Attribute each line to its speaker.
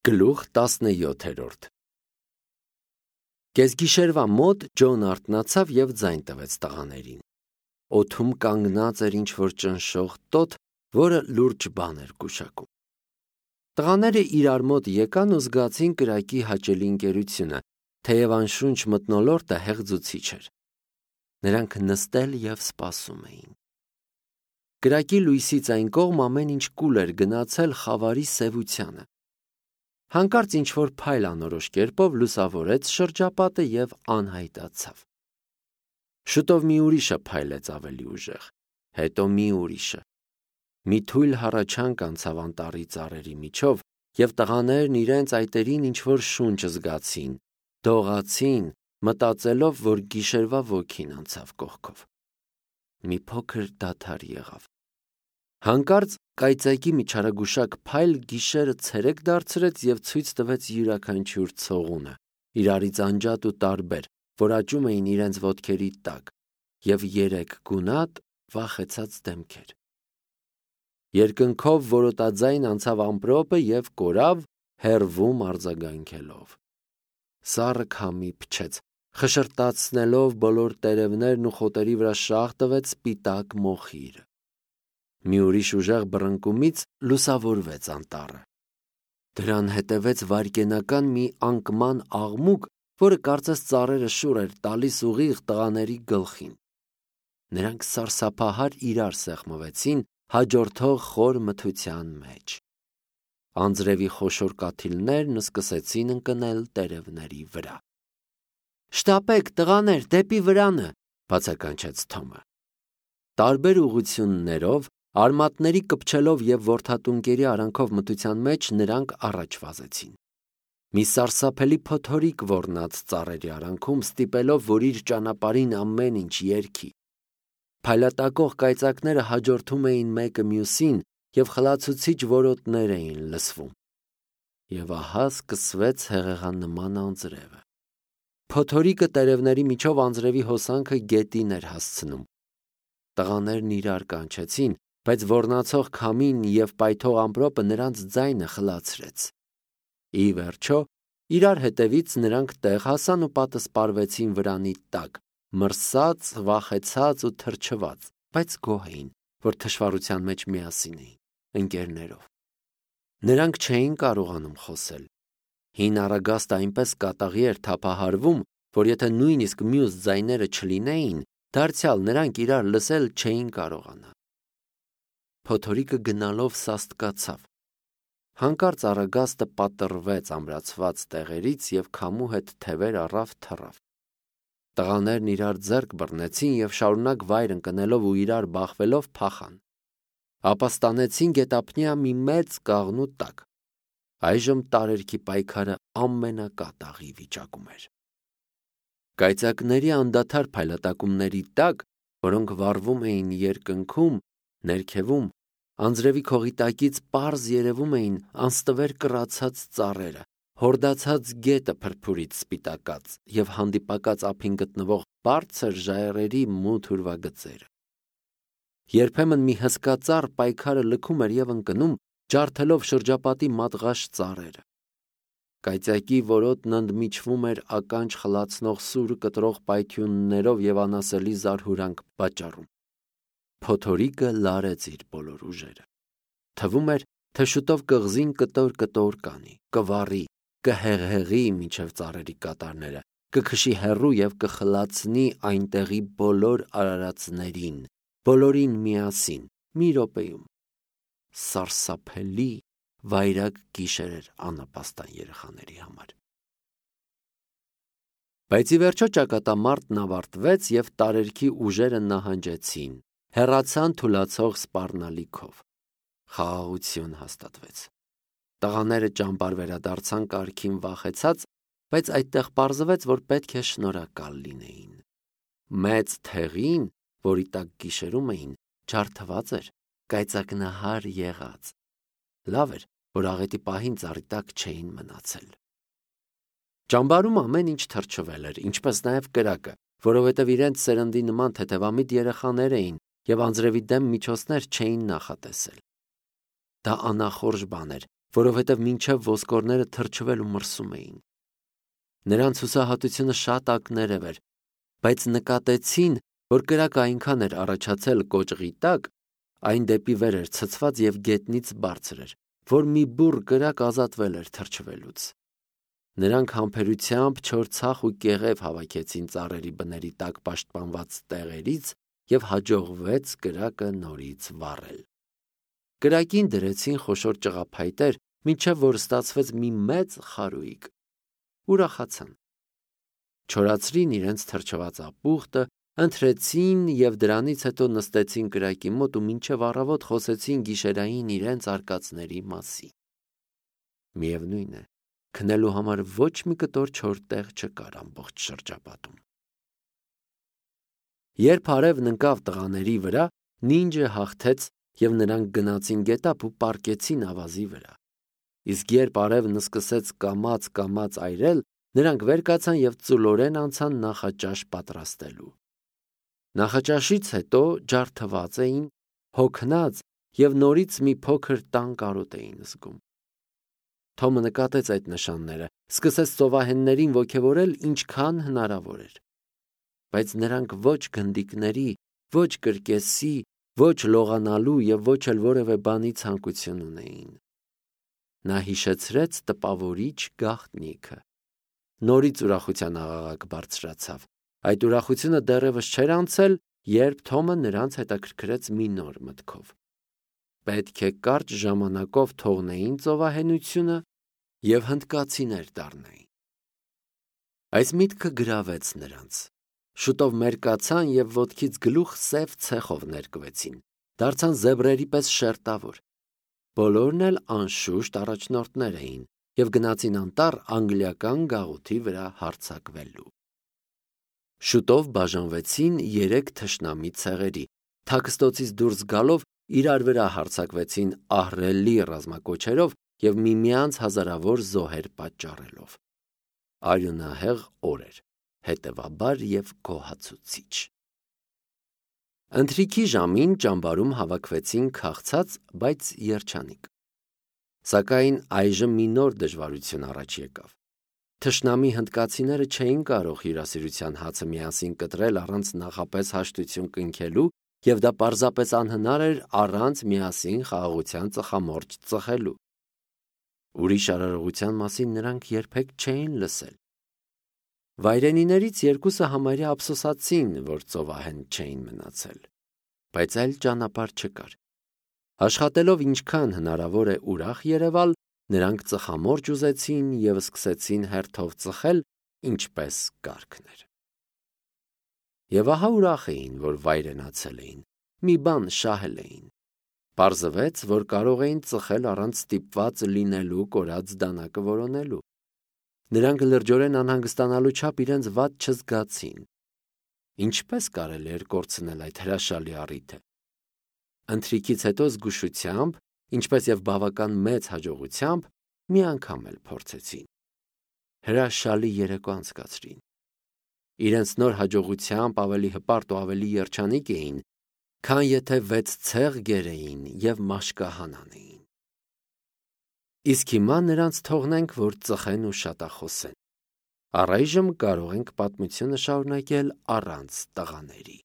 Speaker 1: Գլուխ 17 Կեսգիշերվա մոտ Ջոն արթնացավ և ձայն տվեց տղաներին։ Օդում կանգնած էր ինչ-որ ճնշող տոթ, որը լուրջ բան էր գուշակում։ Տղաները իրար մոտ եկան ու զգացին կրակի հաճելի ընկերությունը, թեև անշունչ մթնոլորտը հեղձուցիչ էր։ Նրանք նստել և սպասում էին։ Կրակի լույսից այն կողմ ամեն ինչ կուլ էր գնացել խավարի սևությանը։ Հանկարծ ինչ-որ փայլ անորոշ կերպով լուսավորեց շրջապատը և անհայտացավ։ Շուտով մի ուրիշը փայլեց ավելի ուժեղ, հետո մի ուրիշը։ Մի թույլ հառաչանք անցավ անտառի ծառերի միջով, և տղաներն իրենց այտերին ինչ-որ շունչ զգացին, դողացին, մտածելով, որ գիշերվա ոգին անցավ կողքով։ Մի փոքր դադար եղավ։ Հանկարծ կայծակի մի չարագուշակ փայլ գիշերը ցերեկ դարձրեց և ցույց տվեց յուրաքանչյուր ցողունը, իրարից անջատ ու տարբեր, որ աճում էին իրենց ոտքերի տակ, և 3 գունատ, վախեցած դեմքեր։ Երկնքով որոտաձայն անցավ ամպրոպը և կորավ, հեռվում արձագանքելով։ Սառը քամի փչեց, խշրտացնելով բոլոր տերևներն ու խոտերի վրա շաղ տվեց սպիտակ մոխիրը։ Մի ուրիշ ուժեղ բռնկումից լուսավորվեց անտառը։ Դրան հետևեց վայրկենական մի անկման աղմուկ, որը կարծես ծառերը շուռ էր տալիս ուղիղ տղաների գլխին։ Նրանք սարսափահար իրար սեղմվեցին հաջորդող խոր մթության մեջ։ Անձրևի խոշոր կաթիլներն սկսեցին ընկնել տերևների վրա։ «Շտապեք, տղաներ, դեպի վրանը», բացականչեց Թոմը։ Տարբեր ուղղություններով, արմատների կպչելով և որդատունկերի արանքով մթության մեջ նրանք առաջ վազեցին։ Մի սարսափելի փոթորիկ ոռնաց ծառերի արանքում, ստիպելով, որ իր ճանապարհին ամեն ինչ երգի։ Փայլատակող կայծակները հաջորդում էին մեկը մյուսին, և խլացուցիչ որոտներ էին լսվում։ Եվ ահա սկսվեց հեղեղանման անձրևը։ Փոթորիկը տերևների միջով անձրևի հոսանքը գետին էր հասցնում։ Տղաներն իրար կանչեցին, բայց ոռնացող քամին և պայթող ամպրոպը նրանց ձայնը խլացրեց։ Ի վերջո, իրար հետևից նրանք տեղ հասան ու պատսպարվեցին վրանի տակ, մրսած, վախեցած ու թրջված, բայց գոհ էին, որ թշվառության մեջ միասին էին, ընկերներով։ Նրանք չէին կարողանում խոսել։ Հին առագաստը այնպես կատաղի էր թափահարվում, որ եթե նույնիսկ մյուս ձայները չլինեին, դարձյալ նրանք իրար լսել չէին կարողանա։ Փոթորիկը գնալով սաստկացավ։ Հանկարծ առագաստը պատռվեց ամրացված տեղերից և քամու հետ թևեր առավ թռավ։ Տղաներն իրար ձեռք բռնեցին և շարունակ վայր ընկնելով ու իրար բախվելով փախան։ Ապա ստանեցին գետափնյա մի մեծ կաղնու տակ։ Այժմ տարերքի պայքարը ամենակատաղի վիճակում էր։ Կայծակների անդադար փայլատակումների տակ, որոնք վառվում էին երկնքում, ներքևում, անձրևի քողի տակից պարզ երևում էին անստվեր կռացած ծառերը, հորդացած գետը փրփուրից սպիտակած և հանդիպակաց ափին գտնվող բարձր ժայռերի մութ ուրվագծերը։ Երբեմն մի հսկա ծառ պայքարը լքում էր և ընկնում, ջարդելով շրջապատի մատղաշ ծառերը։ Կայծակի որոտն ընդմիջվում էր ականջ խլացնող սուր կտրող պայթյուններով և անասելի զարհուրանք պատճառում։ Փոթորիկը լարեց իր բոլոր ուժերը։ Թվում էր, թե շուտով կղզին կտոր-կտոր կանի, կվառի, կհեղհեղի մինչև ծառերի կատարները, կքշի հեռու և կխլացնի այնտեղի բոլոր արարածներին, բոլորին միասին, մի րոպեում։ Սարսափելի, վայրագ գիշեր էր աննպաստան երեխաների համար։ Բայց ի վերջո ճակատամարտն ավարտվեց և տարերքի ուժերը նահանջեցին, հեռացան թուլացող սպառնալիքով։ Խաղաղություն հաստատվեց։ Տղաները ճամբար վերադարձան կարգին վախեցած, բայց այդտեղ պարզվեց, որ պետք է շնորհակալ լինեին։ Մեծ թեղին, որի տակ գիշերում էին, ջարդված էր, կայծակնահար եղած։ Լավ էր, որ աղետի պահին ծառի տակ չէին մնացել։ Ճամբարում ամեն ինչ թրջվել էր, ինչպես նաև կրակը, որովհետև իրենց սերնդի նման թեթևամիտ երեխաներ էին և անձրևի դեմ միջոցներ չէին նախատեսել։ Դա անախորժ բան էր, որովհետև մինչև ոսկորները թրջվել ու մրսում էին։ Նրանց հուսահատությունը շատ ակներև էր, բայց նկատեցին, որ կրակը այնքան էր առաջացել կոճղի տակ, այն դեպի վեր էր ցցված և գետնից բարձր էր, որ մի բուռ կրակ ազատվել էր թրջվելուց։ Նրանք համբերությամբ չոր ցախ ու կեղև հավաքեցին ծառերի բների տակ պաշտպանված տեղերից և հաջողվեց կրակը նորից վառել։ Կրակին դրեցին խոշոր ճղափայտեր, մինչև որ ստացվեց մի մեծ խարույկ։ Ուրախացան։ Չորացրին իրենց թրջված ապուխտը, ընթրեցին և դրանից հետո նստեցին կրակի մոտ ու մինչև առավոտ խոսեցին գիշերային իրենց արկածների մասին։ Միևնույն է, քնելու համար ոչ մի կտոր չոր տեղ չկար ամբողջ շրջապատում։ Երբ արևն ընկավ տղաների վրա, նինջը հաղթեց և նրանք գնացին գետափ ու պառկեցին ավազի վրա։ Իսկ երբ արևն սկսեց կամաց այրել, նրանք վեր կացան և ծուլորեն անցան նախաճաշ պատրաստելու։ Նախաճաշից հետո ջարդված էին, հոգնած և նորից մի փոքր տան կարոտ էին զգում։ Թոմը նկատեց այդ նշանները, սկսեց ծովահեններին ոգևորել ինչքան հնարավոր էր։ Բայց նրանք ոչ գնդիկների, ոչ կրկեսի, ոչ լողանալու և ոչ էլ որևէ բանի ցանկություն ունեին։ Նա հիշեցրեց տպավորիչ գաղտնիքը։ Նորից ուրախության աղաղակ բարձրացավ։ Այդ ուրախությունը դեռևս չէր անցել, երբ Թոմը նրանց հետաքրքրեց մի նոր մտքով։ Պետք է կարճ ժամանակով թողնեին ծովահենությունը և հնդկացիներ դառնային։ Այս միտքը գրավեց նրանց։ Շուտով մերկացան և ոտքից գլուխ սև ցեխով ներկվեցին, դարձան զեբրերի պես շերտավոր։ Բոլորն էլ անշուշտ առաջնորդներ էին և գնացին անտառ անգլիական գաղութի վրա հարձակվելու։ Շուտով բաժանվեցին 3 թշնամի ցեղերի, թաքստոցից դուրս գալով իրար վրա հարձակվեցին ահռելի ռազմակոչերով և միմյանց հազարավոր զոհեր պատճառելով։ Արյունահեղ օր էր, հետևաբար և գոհացուցիչ։ Ընթրիքի ժամին ճամբարում հավաքվեցին քաղցած, բայց երջանիկ։ Սակայն այժմ մի նոր դժվարություն առաջ եկավ։ Թշնամի հնդկացիները չէին կարող հյուրասիրության հացը միասին կտրել առանց նախապես հաշտություն կնքելու, և դա պարզապես անհնար էր առանց միասին խաղաղության ծխամորճ ծխելու։ Ուրիշ արարողության մասին նրանք երբեք չէին լսել։ Վայրենիներից երկուսը համարյա ափսոսացին, որ ծովահեն չէին մնացել։ Բայց այլ ճանապարհ չկար։ Աշխատելով ինչքան հնարավոր է ուրախ երևալ, նրանք ծխամորճ ուզեցին և սկսեցին հերթով ծխել, ինչպես կարգն էր։ Եվ ահա ուրախ էին, որ վայրենացել էին, մի բան շահել էին։ Պարզվեց, որ կարող էին ծխել առանց ստիպված լինելու կորած դանակը որոնելու։ Նրանք լրջորեն անհանգստանալու չափ իրենց վատ չզգացին։ Ինչպես կարելի էր կորցնել այդ հրաշալի առիթը։ Ընթրիքից հետո զգուշությամբ, ինչպես և բավական մեծ հաջողությամբ, մի անգամ էլ փորձեցին։ Հրաշալի երեկո անցկացրին։ Իրենց նոր հաջողությամբ ավելի հպարտ ու ավելի երջանիկ էին, քան եթե 6 ցեղ գերեին և մաշկահան անեին։ Իսկ հիմա նրանց թողնենք, որ ծխեն ու շատախոսեն։ Առայժմ կարող ենք պատմությունը շարունակել առանց տղաների։